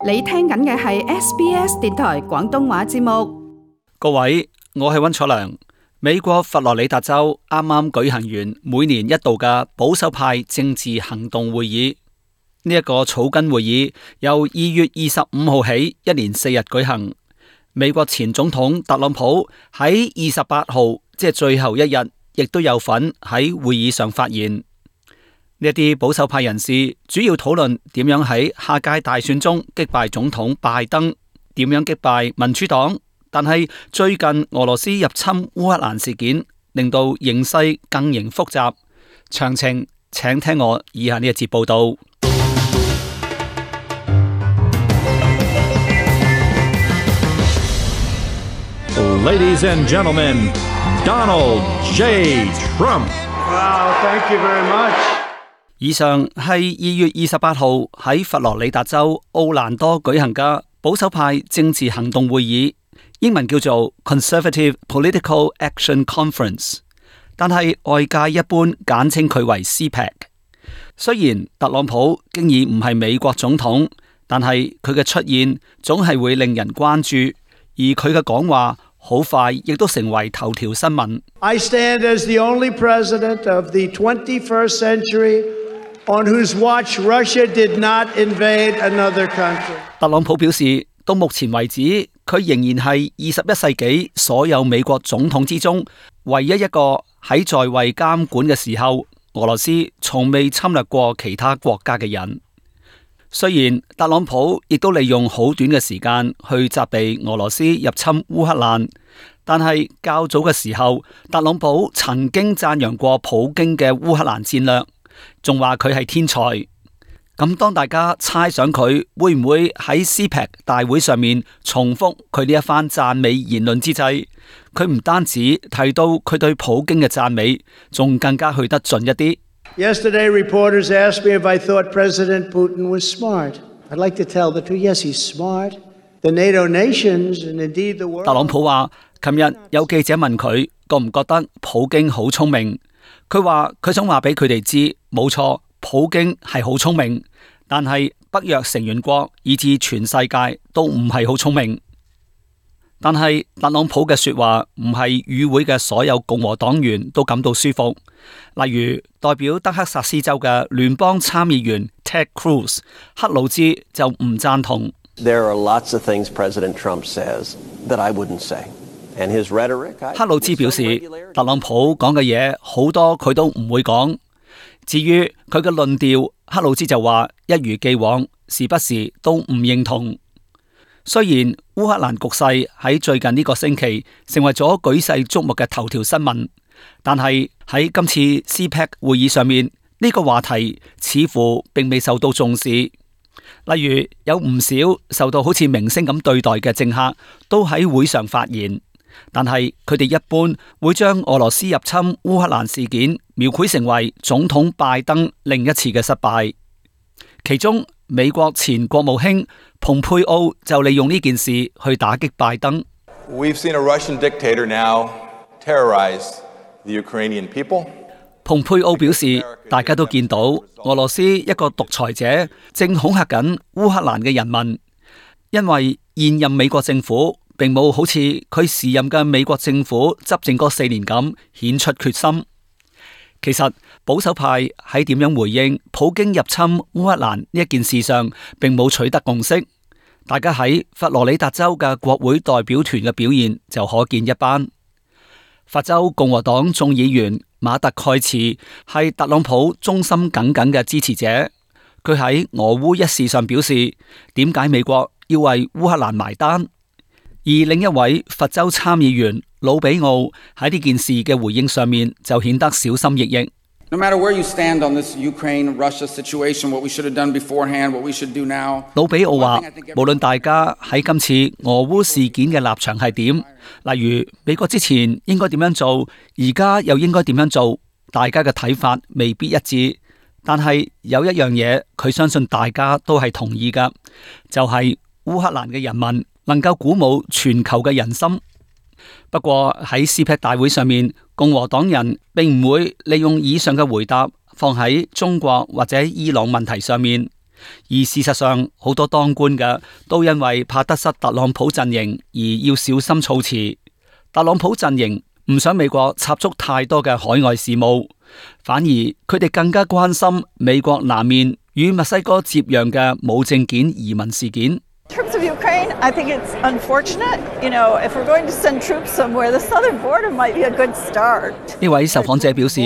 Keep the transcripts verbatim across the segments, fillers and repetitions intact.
你聽緊嘅係 S B S 電台廣東話節目。各位，我係溫楚良。美國佛羅里達州啱啱舉行完每年一度嘅保守派政治行動會議。呢、這、一個草根會議由二月二十五號起，一連四日舉行。美國前總統特朗普喺二十八號，即係最後一日，亦都有份喺會議上發言。呢一啲保守派人士主要討論點樣喺下屆大選中擊敗總統拜登，點樣擊敗民主黨。但係最近俄羅斯入侵烏克蘭事件，令到形勢更形複雜。詳情請聽我以下呢一節報道。Ladies and gentlemen, Donald J. Trump. Wow, thank you very much. 以上係二月二十八號喺佛羅里達州奧蘭多舉行嘅保守派政治行動會議，英文叫做 Conservative Political Action Conference， 但係外界一般簡稱佢為 C PAC。雖然特朗普經已唔係美國總統，但係佢嘅出現總係會令人關注，而佢嘅講話好快亦都成為頭條新聞。I stand as the only president of the twenty-first century on whose watch Russia did not invade another country。特朗普表示，到目前為止，佢仍然係二十一世紀所有美國總統之中唯一一個喺在，在位監管嘅時候，俄羅斯從未侵略過其他國家嘅人。雖然特朗普亦都利用好短嘅時間去責備俄羅斯入侵烏克蘭，但係較早嘅時候，特朗普曾經讚揚過普京嘅烏克蘭戰略，仲話佢係天才。咁當大家猜想佢會唔會喺 C PAC 大會上面重複佢呢一番讚美言論之際，佢唔單止提到佢對普京嘅讚美，仲更加去得盡一啲。Yesterday, reporters asked me if I thought President Putin was smart. I'd like to tell the truth. Yes, he's smart. The NATO nations and indeed the world. 特朗普話，琴日有記者問佢覺唔覺得普京好聰明，佢話佢想話俾佢哋知，冇錯，普京係好聰明，但係北約成員國以至全世界都唔係好聰明。但係特朗普嘅說話唔係與會嘅所有共和黨員都感到舒服。例如代表德克薩斯州嘅聯邦參議員 Ted Cruz 克魯茲就唔贊同。There are lots of things President Trump says that I wouldn't say, and his rhetoric. 克魯茲表示，特朗普講嘅嘢好多佢都唔會講。至於佢嘅論調，克魯茲就話一如既往，時不時都唔認同。雖然烏克蘭局勢喺最近呢個星期成為咗舉世矚目嘅頭條新聞，但係喺今次 C PAC 會議上面，呢個話題似乎並未受到重視。例如有唔少受到好似明星咁對待嘅政客都喺會上發言，但係佢哋一般會將俄羅斯入侵烏克蘭事件描繪成為總統拜登另一次嘅失敗。其中美國前國務卿蓬佩奧就利用呢件事去打擊拜登。We've seen a Russian dictator now terrorize the Ukrainian people. 蓬佩奧表示，大家都見到俄羅斯一個獨裁者正恐嚇緊烏克蘭嘅人民，因為現任美國政府並冇好似佢時任嘅美國政府執政嗰四年咁顯出決心。其實保守派喺點樣回應普京入侵烏克蘭呢一件事上，並冇取得共識。大家喺佛羅里達州嘅國會代表團嘅表現就可見一斑。佛州共和黨眾議員馬特蓋茨係特朗普忠心耿耿嘅支持者，佢喺俄烏一事上表示，點解美國要為烏克蘭埋單？而另一位佛州參議員魯比奧喺呢件事嘅回應上面就顯得小心翼翼。No matter where you stand on this Ukraine-Russia situation, what we should have done beforehand, what we should do now. 魯比奧話，無論大家喺今次俄烏事件嘅立場係點，例如美國之前應該點樣做，而家又應該點樣做，大家嘅睇法未必一致。但係有一樣嘢，佢相信大家都係同意㗎，就係烏克蘭嘅人民能夠鼓舞全球嘅人心。不過喺 C PAC 大會上面，共和黨人並唔會利用以上嘅回答放喺中國或者伊朗問題上面，而事實上，好多當官嘅都因為怕得失特朗普陣營而要小心措辭。特朗普陣營唔想美國插足太多嘅海外事務，反而佢哋更加關心美國南面與墨西哥接壤嘅無證件移民事件。In terms of Ukraine, I think it's unfortunate. You know, if we're going to send troops somewhere, the southern border might be a good start. 呢位受訪者表示，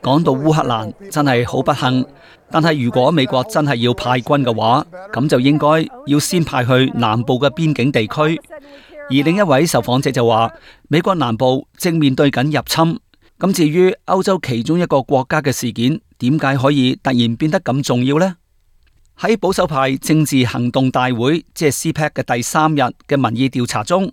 講到烏克蘭真係好不幸，但係如果美國真係要派軍嘅話，咁就應該要先派去南部嘅邊境地區。而另一位受訪者就話，美國南部正面對緊入侵。咁至於歐洲其中一個國家嘅事件，點解可以突然變得咁重要呢？喺保守派政治行動大會，即係 C PAC 嘅第三日嘅民意調查中，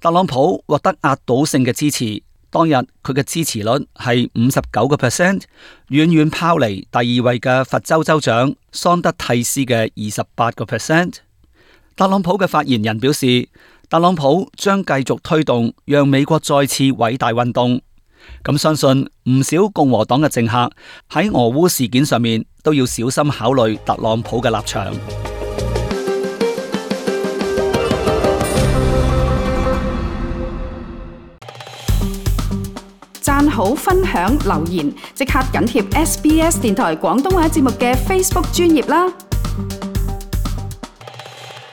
特朗普獲得壓倒性嘅支持。當日佢嘅支持率係五十九個 percent， 遠遠拋離第二位嘅佛州州長桑德蒂斯嘅二十八個 percent。特朗普嘅發言人表示，特朗普將繼續推動讓美國再次偉大運動。咁相信唔少共和黨嘅政客喺俄烏事件上面都要小心考慮特朗普嘅立場。讚好、分享、留言，即刻緊貼 S B S 電台廣東話節目嘅 Facebook 專頁啦！